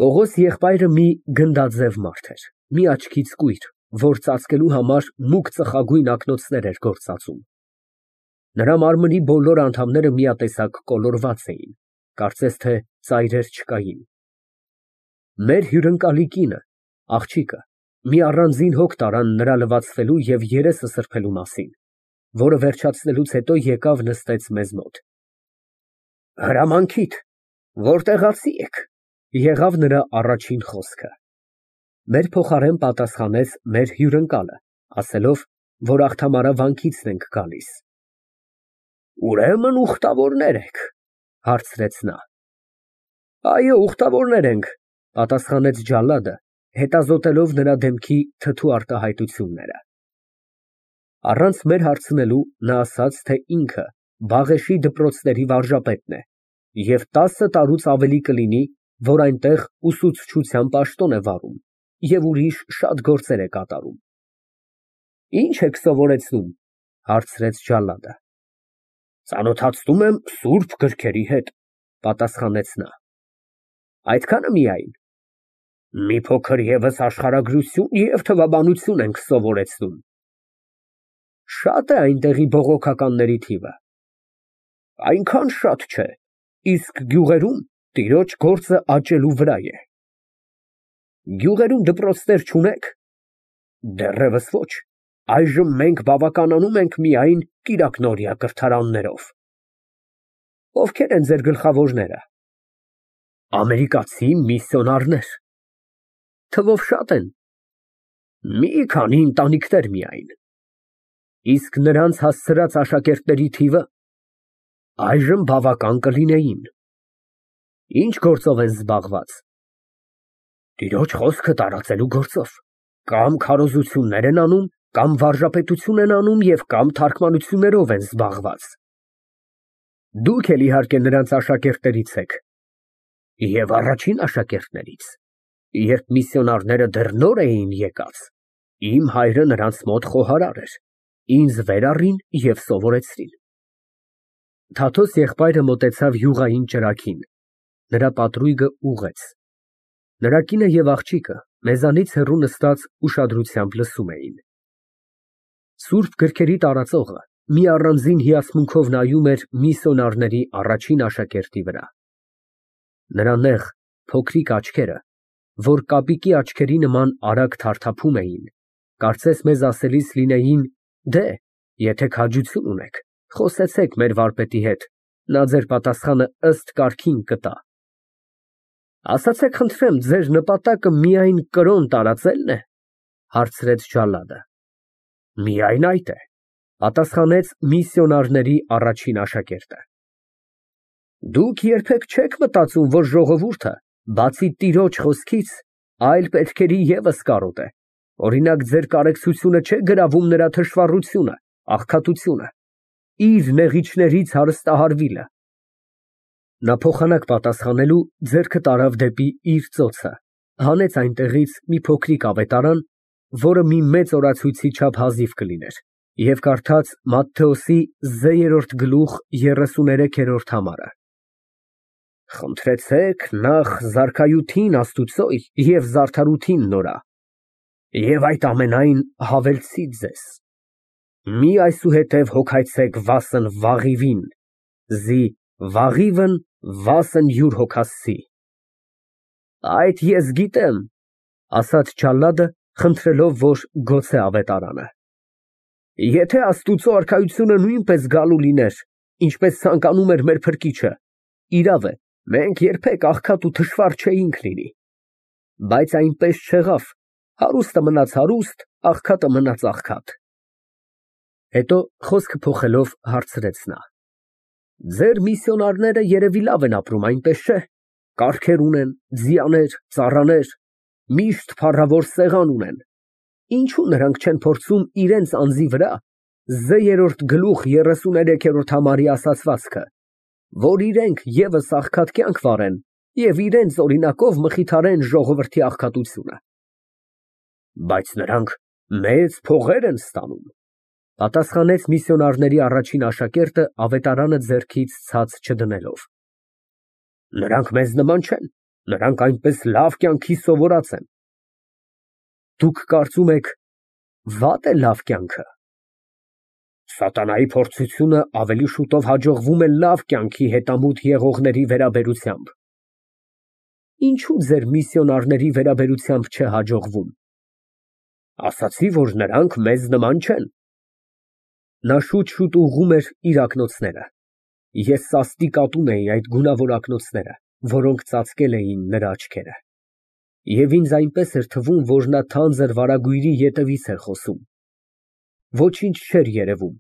Պողոս եղբայրը մի գնդաձև մարդ էր, մի աչքից կույր, որ ծածկելու համար մուգ ծխագույն ակնոցներ էր գործածում։ Նրա մարմնի բոլոր անդամները միատեսակ կոլորված էին, կարծես թե ծայրեր չկային։ Մեր հյուրընկալի կինը, աղջիկը, մի առանձին հոգ տարան նրա լվացվելու և երեսը սրբելու մասին, որը վերջացնելուց հետո եկավ նստեց մեզ մոտ։ Հրամանքիդ, որտեղացի եք, եղավ նրա առաջին խոսքը։ Մեր փոխարեն պատասխանեց մեր հյուրընկալը, ասելով, որ աղթամարավանքիցն ենք գալիս։ Ուրեմն ուխտավորներ եք, հարցրեց նա։ Այո, ուխտավորներ ենք, պատասխանեց ջալադը, հետազոտելով նրա դեմքի թթու արտահայտությունները։ Առանց մեր հարցնելու նա ասաց, թե ինքը Բաղեշի դպրոցների վարժապետն է և 10 տարուց ավելի կլինի, որ այնտեղ ուսուցչության պաշտոն է վարում և ուրիշ շատ գործեր է կատարում։ Ի՞նչ եք սովորեցնում, հարցրեց ջալադը։ Ծանոթացնում եմ սուրբ գրքերի հետ, պատասխանեց նա։ Այդքանը միայն։ Մի փոքր ևս աշխարհագրություն և թվաբանություն ենք սովորեցնում։ Շա՞տ է այնտեղի բողոքականների թիվը։ Այնքան շատ չէ, իսկ գյուղերում տիրոջ գործը աճելու վրա է։ Գյուղերում դպրոցներ չունե՞ք։ Դեռևս ոչ, այժմ մենք բավականանում ենք միայն կիրակնօրյա կրթարաններով։ Ովքեր են ձեր գլխավորները։ Ամերիկացի միսիոնարներ։ Թվով շատ են։ Մի քանի ընտանիքներ միայն։ Իսկ նրանց հասցրած աշակերտների թիվը այժմ բավական կլինեին։ Ինչ գործով են զբաղված։ Տիրոջ խոսքը տարածելու գործով։ Կամ քարոզություններ են անում, կամ վարժապետություն են անում և կամ թարգմանություններով են զբաղված։ Դուք էլ իհարկե նրանց աշակերտներից եք։ Եվ առաջին աշակերտներից, երբ միսիոնարները դեռ նոր էին եկած, իմ հայրը նրանց մոտ խոհարար էր, ինձ վեր առին և սովորեցրին։ Թաթոս եղբայրը մոտեցավ յուղային ճրագին, նրա պատրույգը ուղղեց։ Նրա կինը և աղջիկը մեզանից հեռու նստած ուշադրությամբ լսում էին։ Սուրբ գրքերի տարածողը մի առանձին հիացմունքով նայում էր միսիոնարների առաջին աշակերտի վրա։ Նրա նեղ, փոքրիկ աչքերը, որ կապիկի աչքերի նման արագ թարթափում էին, կարծես մեզ ասելիս լինեին. դե, եթե քաջություն ունեք, խոսեցեք մեր վարպետի հետ, նա ձեր պատասխանը ըստ կարգին կտա։ Ասացեք խնդրեմ, ձեր նպատակը միայն կրոն տարածելն է, հարցրեց ջալադը։ Միայն այդ է, պատասխանեց միսիոնարների առաջին աշակերտը։ Դուք երբեք չեք մտածում, որ ժողովուրդը, բացի տիրոջ խոսքից, այլ պետքերի ևս կարոտ է։ Օրինակ, ձեր կարեկցությունը չէ գրավում նրա թշվառությունը, աղքատությունը, իր նեղիչներից հարստահարվիլը։ Նա փոխանակ պատասխանելու ձեռքը տարավ դեպի իր ծոցը, հանեց այնտեղից մի փոքրիկ ավետարան, որը մի մեծ օրացույցի չափ հազիվ կլիներ, և կարդաց Մատթեոսի 3-րդ համարը։ Խնդրեցեք նախ զարքայութին Աստուծո և զարդարութին նորա, և այդ ամենայն հավելցի ձեզ։ Մի այսուհետև հոգայցեք վասն վաղիվին, զի վաղիվն վասն յուր հոգասցի։ Այդ ես գիտեմ, ասաց ջալադը, խնդրելով, որ գոցե ավետարանը։ Եթե Աստուծո արքայությունը նույնպես գալու լիներ, ինչպես ցանկանում էր մեր Փրկիչը, իրավ է, մենք երբեք աղքատ ու թշվառ չէինք լինի։ Բայց այնպես չեղավ, հարուստը մնաց հարուստ, աղքատը մնաց աղքատ։ Հետո խոսքը փոխելով հարցրեց նա. Ձեր միսիոնարները երևի լավ են ապրում, այնպես չէ։ Կառքեր ունեն, ձիաներ, ծառաներ, միշտ փառավոր սեղան ունեն։ Ինչու նրանք չեն փորձում իրենց անձի վրա 3-րդ համարի ասացվածքը, որ իրենք ևս աղքատ կյանք վարեն և իրենց օրինակով մխիթարեն ժողովրդի աղքատությունը։ Բայց նրանք մեծ փողեր են ստանում, պատասխանեց միսիոնարների առաջին աշակերտը ավետարանը ձեռքից ցած չդնելով։ Նրանք մեզ նման չեն, Նրանք այնպես լավ կյանքի սովորած են։ Դուք կարծում եք վատ է լավ կյանքը։ Սատանայի փորձությունը ավելի շուտով հաջողվում է լավ կյանքի հետամուտ եղողների վերաբերությամբ։ Ինչու ձեր միսիոնարների վերաբերությամբ չէ հաջողվում։ Ասացի, որ նրանք մեզ նման չեն։ Նա շուտ ուղղում էր իր ակնոցները։ Ես սաստիկ ատում էի այդ գունավոր ակնոցները, որոնք ծածկել էին նրա աչքերը։ Եվ ինձ այնպես էր թվում, որ նա թանձր վարագույրի ետևից էր խոսում։ Ոչինչ չէր երևում։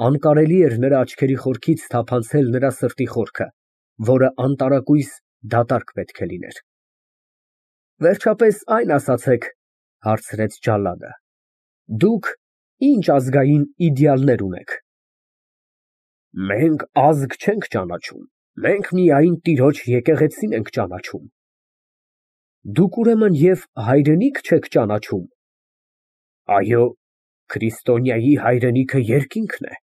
Անկարելի էր նրա աչքերի խորքից թափանցել նրա սրտի խորքը, որը անտարակույս դատարկ պետք է լիներ։ Վերջապես այն ասացեք, հարցրեց ջալադը, դուք ինչ ազգային իդեալներ ունեք։ Մենք ազգ չենք ճանաչում, մենք միայն տիրոջ եկեղեցին ենք ճանաչում։ Դուք ուրեմն և հայրենիք չեք ճանաչում։ Այո, քրիստոնյայի հայրենիքը երկինքն է,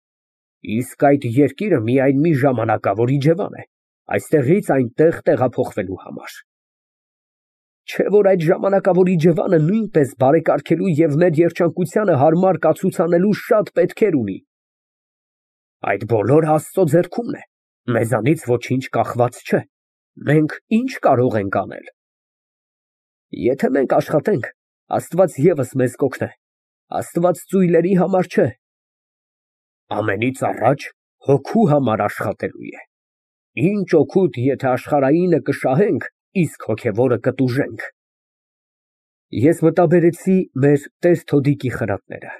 իսկ այդ երկիրը միայն մի ժամանակավոր իջևան է, այստեղից այնտեղ տեղափոխվելու համար։ Չէ՞ որ այդ ժամանակավոր իջևանը նույնպես բարեկարգելու և մեր երջանկությանը հարմար կացուցանելու շատ պետքեր ունի։ Այդ բոլորը Աստծո ձեռքումն է, մեզանից ոչինչ կախված չէ, մենք ինչ կարող ենք անել։ Եթե մենք աշխատենք, Աստված ևս մեզ կօգնե, Աստված ծույլերի համար չէ։ Ամենից առաջ հոգու համար աշխատելու է։ Ինչ օգուտ, եթե աշխարհայինը կշահենք, իսկ հոգևորը կտուժենք։ Ես մտաբերեցի մեր Տեր Թոդիկի խրատները։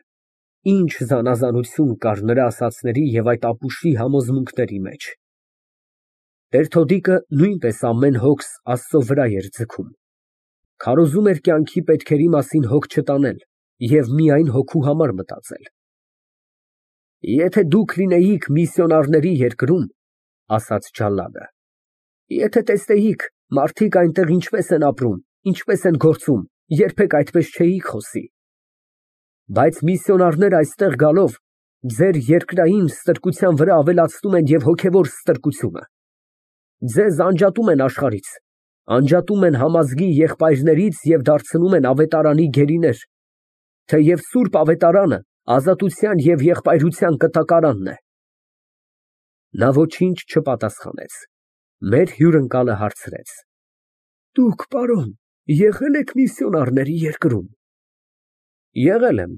Ինչ զանազանություն կար նրա ասածների և այդ ապուշի համոզմունքների մեջ։ Տեր Թոդիկը նույնպես ամեն հոգս Աստծո վրա էր ձգում։ Քարոզում էր կյանքի պետքերի մասին հոգ չտանել և միայն հոգու համար մտածել։ Եթե դուք լինեիք միսիոնարների երկրում, ասաց ջալադը, եթե տեսնեիք մարդիկ այնտեղ ինչպես են ապրում, ինչպես են գործում, երբեք այդպես չէիք խոսի։ Բայց միսիոնարները այստեղ գալով ձեր երկրային ստրկության վրա ավելացնում են և հոգևոր ստրկությունը։ Ձեզ անջատում են աշխարհից, անջատում են համազգի եղբայրներից և դարձնում են ավետարանի գերիներ, թեև սուրբ ավետարանը ազատության և եղբայրության կտակարանն է։ Նա ոչինչ չպատասխանեց։ Մեր հյուրընկալը հարցրեց. Դուք, պարոն, եղե՞լ եք միսիոնարների երկրում։ Եղել եմ,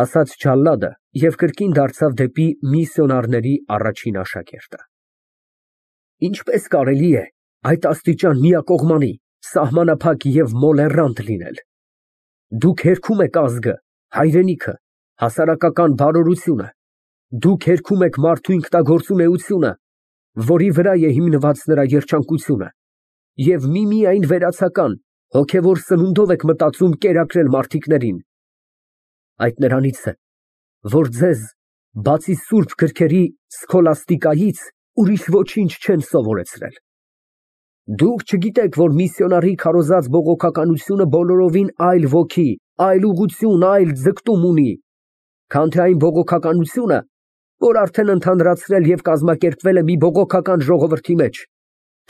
ասաց ջալադը և կրկին դարձավ դեպի միսիոնարների առաջին աշակերտը։ Ինչպես կարելի է այդ աստիճան միակողմանի, սահմանափակ և մոլեռանդ լինել։ Դուք հերքում եք ազգը, հայրենիքը, հասարակական բարօրությունը, դուք հերքում եք մարդու ինքնագործունեությունը, որի վրա է հիմնված նրա երջանկությունը, և միմիայն վերացական, հոգևոր սնունդով եք մտածում կերակրել մարդիկներին։ Այդ նրանից է, որ ձեզ, բացի սուրբ գրքերի սքոլաստիկայից, ուրիշ ոչինչ չեն սովորեցրել։ Դուք չգիտեք, որ միսիոնարի քարոզած բողոքականությունը բոլորովին այլ ոգի, այլ ուղղություն, այլ ձգտում ունի, քան թե այն բողոքականությունը, որ արդեն ընդհանրացրել և կազմակերպվել է մի բողոքական ժողովրդի մեջ,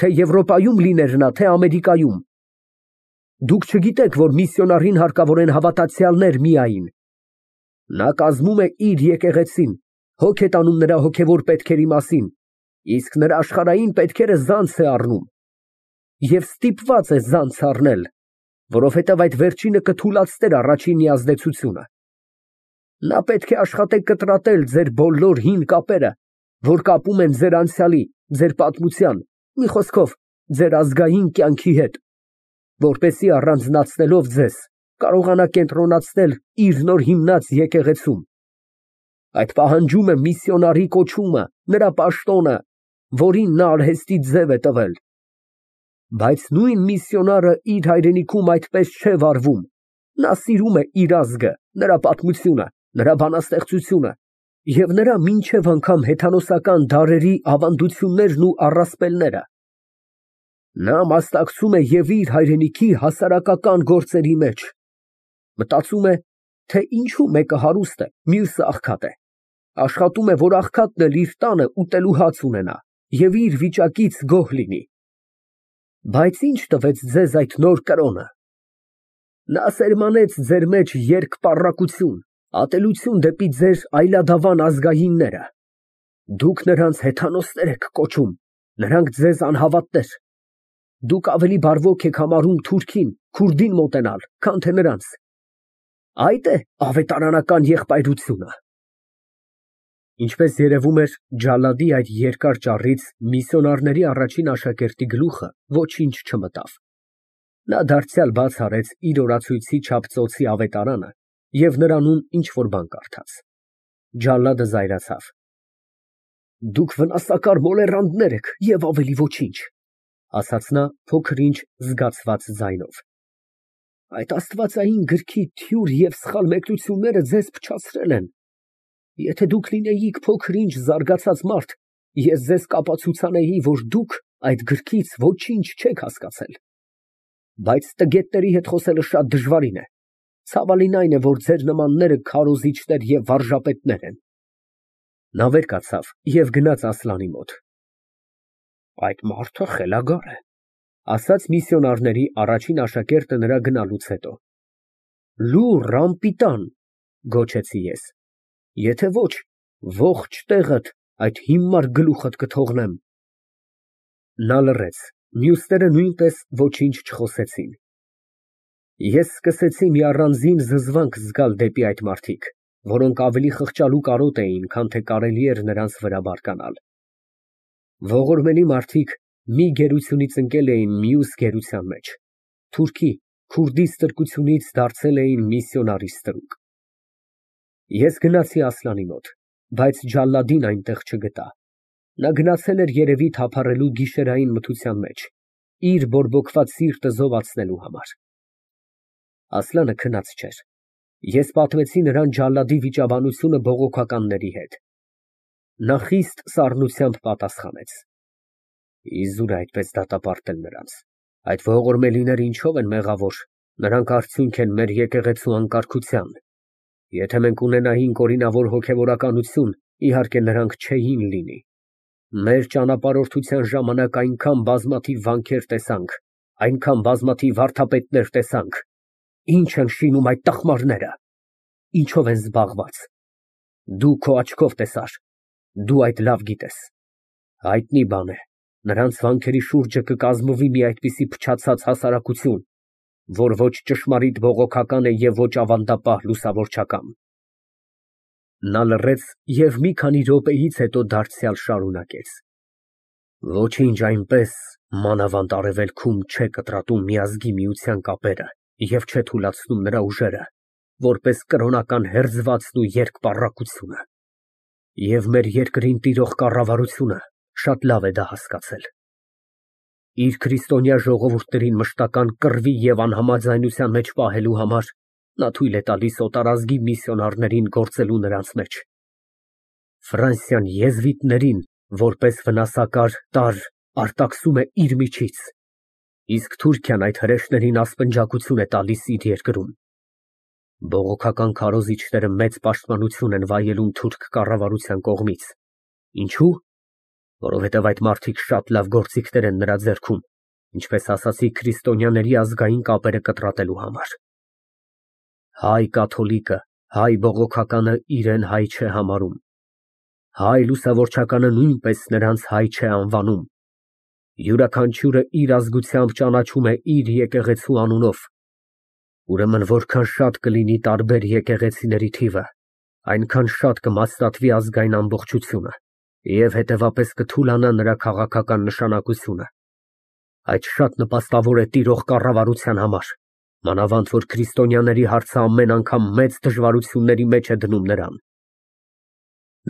թե Եվրոպայում լիներ նա, թե Ամերիկայում։ Դուք չգիտեք, որ միսիոնարին հարկավոր են հավատացյալներ միայն։ Նա կազմում է իր եկեղեցին, հոգ է տանում նրա հոգևոր պետքերի մասին, իսկ նրա աշխարհային պետքերը զանց է առնում։ Եվ ստիպված է զանց առնել, որովհետև այդ վերջինը կթուլացներ առաջինի ազդեցությունը։ Նա պետք է աշխատե կտրատել ձեր բոլոր հին կապերը, որ կապում են ձեր անցյալի, ձեր պատմության, մի խոսքով, ձեր ազգային կյանքի հետ, որպեսզի առանձնացնելով ձեզ, կարողանա կենտրոնացնել իր նոր հիմնած եկեղեցում։ Այդ պահանջում է միսիոնարի կոչումը, նրա պաշտոնը, որին նա արհեստի ձև է տվել։ Բայց նույն միսիոնարը իր հայրենիքում այդպես չէ վարվում։ Նա սիրում է իր ազգը, նրա պատմությունը, նրա բանաստեղծությունը և նրա մինչև անգամ հեթանոսական դարերի ավանդություններն ու առասպելները։ Նա մասնակցում է և իր հայրենիքի հասարակական գործերի մեջ։ Մտածում է, թե ինչու մեկը հարուստ է, մյուսը աղքատ է։ Աշխատում է, որ աղքատն էլ իր տանը ուտելու հաց ունենա և իր վիճակից գոհ լինի։ Բայց ինչ տվեց ձեզ այդ նոր կրոնը։ Նա սերմանեց ձեր մեջ երկպառակություն, ատելություն դեպի ձեր այլադավան ազգայինները։ Դուք նրանց հեթանոսներ եք կոչում, նրանք ձեզ անհավատներ։ Դուք ավելի բարվոք եք համարում թուրքին, քուրդին մոտենալ, քան թե նրանց։ Այդ է ավետարանական եղբայրությունը։ Ինչպես երևում էր, Ջալադի այդ երկար ճառից միսիոնարների առաջին աշակերտի գլուխը ոչինչ չմտավ։ Նա դարձյալ բաց արեց իր օրացույցի չափ ծոցի ավետարանը և նրանում ինչ֊որ բան կարդաց։ Ջալադը զայրացավ։ Դուք վնասակար մոլեռանդներ եք և ավելի ոչինչ, ասաց նա փոքր-ինչ զգացված ձայնով։ Այդ աստվածային գրքի թյուր և սխալ մեկնությունները ձեզ փչացրել են։ Եթե դուք լինեիք փոքր-ինչ զարգացած մարդ, ես ձեզ կապացուցանեի, որ դուք այդ գրքից ոչինչ չեք հասկացել։ Բայց տգետների հետ խոսելը շատ դժվարին է։ Ցավալին այն է, որ ձեր նմանները քարոզիչներ և վարժապետներ են։ Նա վեր կացավ և գնաց Ասլանի մոտ։ Այդ մարդը խելագար է, ասաց միսիոնարների առաջին աշակերտը նրա գնալուց հետո։ Լուռ, անպիտան, գոչեցի ես։ Եթե ոչ, ողջ տեղդ այդ հիմար գլուխդ կթողնեմ։ Նա լռեց, մյուսները նույնպես ոչինչ չխոսեցին։ Ես սկսեցի մի առանձին զզվանք զգալ դեպի այդ մարդիկ, որոնք ավելի խղճալու կարոտ էին, քան թե կարելի էր նրանց վրա բարկանալ։ Ողորմելի մարդիկ մի գերությունից ընկել էին մյուս գերության մեջ, թուրքի, քուրդի ստրկությունից դարձել էին միսիոնարի ստրուկ։ Ես գնացի Ասլանի մոտ, բայց Ջալադին այնտեղ չգտա։ Նա գնացել էր երևի թափառելու գիշերային մթության մեջ, իր բորբոքված սիրտը զովացնելու համար։ Ասլանը քնած չէր։ Ես պատմեցի նրան Ջալադի վիճաբանությունը բողոքականների հետ։ Նա խիստ սառնությամբ պատասխանեց. Իզուր է այդպես դատապարտել նրանց։ Այդ ողորմելիները ինչով են մեղավոր, նրանք արդյունք են մեր եկեղեցու անկարգության։ Եթե մենք ունենայինք օրինավոր հոգևորականություն, իհարկե նրանք չէին լինի։ Մեր ճանապարհորդության ժամանակ այնքան բազմաթիվ վանքեր տեսանք, այնքան բազմաթիվ վարդապետներ տեսանք։ Ինչ են շինում այդ տխմարները։ Ինչով են զբաղված։ Դու քո աչքով տեսար, դու այդ լավ գիտես։ Հայտնի բան է, նրանց վանքերի շուրջը կկազմվի մի այդպիսի փչացած հասարակություն, որ ոչ ճշմարիտ բողոքական է և ոչ ավանդապահ լուսավորչական։ Նա լռեց և մի քանի րոպեից հետո դարձյալ շարունակեց. Ոչինչ այնպես մանավանդ արևելքում չէ կտրատում միազգի միության կապերը և չէ թուլացնում նրա ուժերը, որպես կրոնական հերձվածն ու երկպառակությունը։ Եվ մեր երկրին տիրող կառավարությունը շատ լավ է դա հասկացել։ Իր քրիստոնյա ժողովուրդներին մշտական կռվի և անհամաձայնության մեջ պահելու համար նա թույլ է տալիս օտարազգի միսիոնարներին գործելու նրանց մեջ։ Ֆրանսիան եզվիտներին որպես վնասակար տարր արտաքսում է իր միջից, իսկ Թուրքիան այդ հրեշներին ասպնջակություն է տալիս իր երկրում։ Բողոքական քարոզիչները մեծ պաշտպանություն են վայելում թուրք կառավարության կողմից։ Ինչու՞։ Որովհետև այդ մարդիկ շատ լավ գործիքներ են նրա ձեռքում, ինչպես ասացի, քրիստոնյաների ազգային կապերը կտրատելու համար։ Հայ կաթոլիկը, հայ բողոքականը իրեն հայ չէ համարում։ Հայ լուսավորչականը նույնպես նրանց հայ չէ անվանում։ Յուրաքանչյուրը իր ազգությամբ ճանաչում է իր եկեղեցու անունով։ Ուրեմն որքան շատ կլինի տարբեր եկեղեցիների թիվը, այնքան շատ կմասնատվի ազգային ամբողջությունը և հետևապես կթուլանա նրա քաղաքական նշանակությունը։ Այդ շատ նպաստավոր է տիրող կառավարության համար, մանավանդ որ քրիստոնյաների հարցը ամեն անգամ մեծ դժվարությունների մեջ է դնում նրան։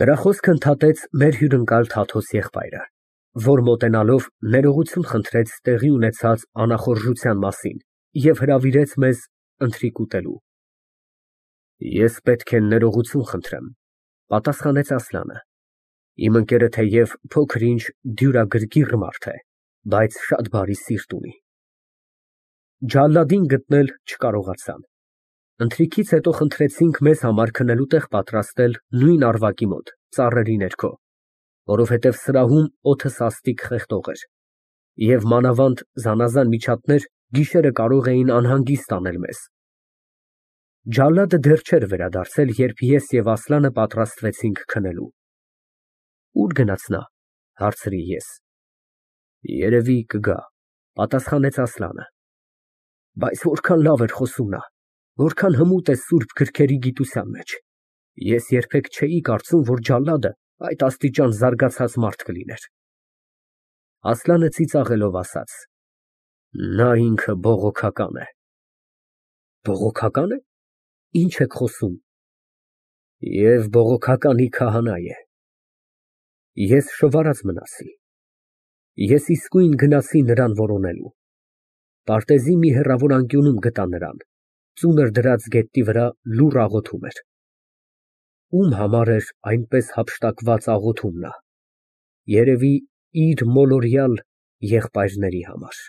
Նրա խոսքը ընդհատեց մեր հյուրընկալ Թաթոս եղբայրը, որ մոտենալով ներողություն խնդրեց տեղի ունեցած անախորժության մասին և հրավիրեց մեզ ընթրիք ուտելու։ Ես պետք է ներողություն խնդրեմ, պատասխանեց Ասլանը։ Իմ ընկերը թեև փոքր-ինչ դյուրագրգիռ մարդ է, բայց շատ բարի սիրտ ունի։ Ջալադին գտնել չկարողացան։ Ընթրիքից հետո խնդրեցինք մեզ համար քնելու տեղ պատրաստել նույն առվակի մոտ, ծառերի ներքո, որովհետև սրահում օդը սաստիկ խեղդող էր։ Եվ մանավանդ զանազան միջատներ գիշերը կարող էին անհանգիստ անել մեզ։ Ջալադը դեռ չէր վերադարձել, երբ ես և Ասլանը պատրաստվեցինք քնելու։ Ո՞ւր գնաց նա, հարցրի ես։ Երևի կգա, պատասխանեց Ասլանը։ Բայց որքան լավ էր խոսում նա, որքան հմուտ է սուրբ գրքերի գիտության մեջ։ Ես երբեք չէի կարծում, որ ջալադը այդ աստիճան զարգացած մարդ կլիներ։ Ասլանը ծիծաղելով ասաց. Նա ինքը բողոքական է։ Բողոքակա՞ն է։ Ինչ եք խոսում։ Եվ բողոքականի քահանա է։ Ես շվարած մնացի։ Ես իսկույն գնացի նրան որոնելու։ Պարտեզի մի հեռավոր անկյունում գտա նրան, ծունր դրած գետնի վրա լուռ աղոթում էր։ Ում համար էր այնպես հափշտակված աղոթում նա։ Երևի իր մոլորյալ եղբայրների համար։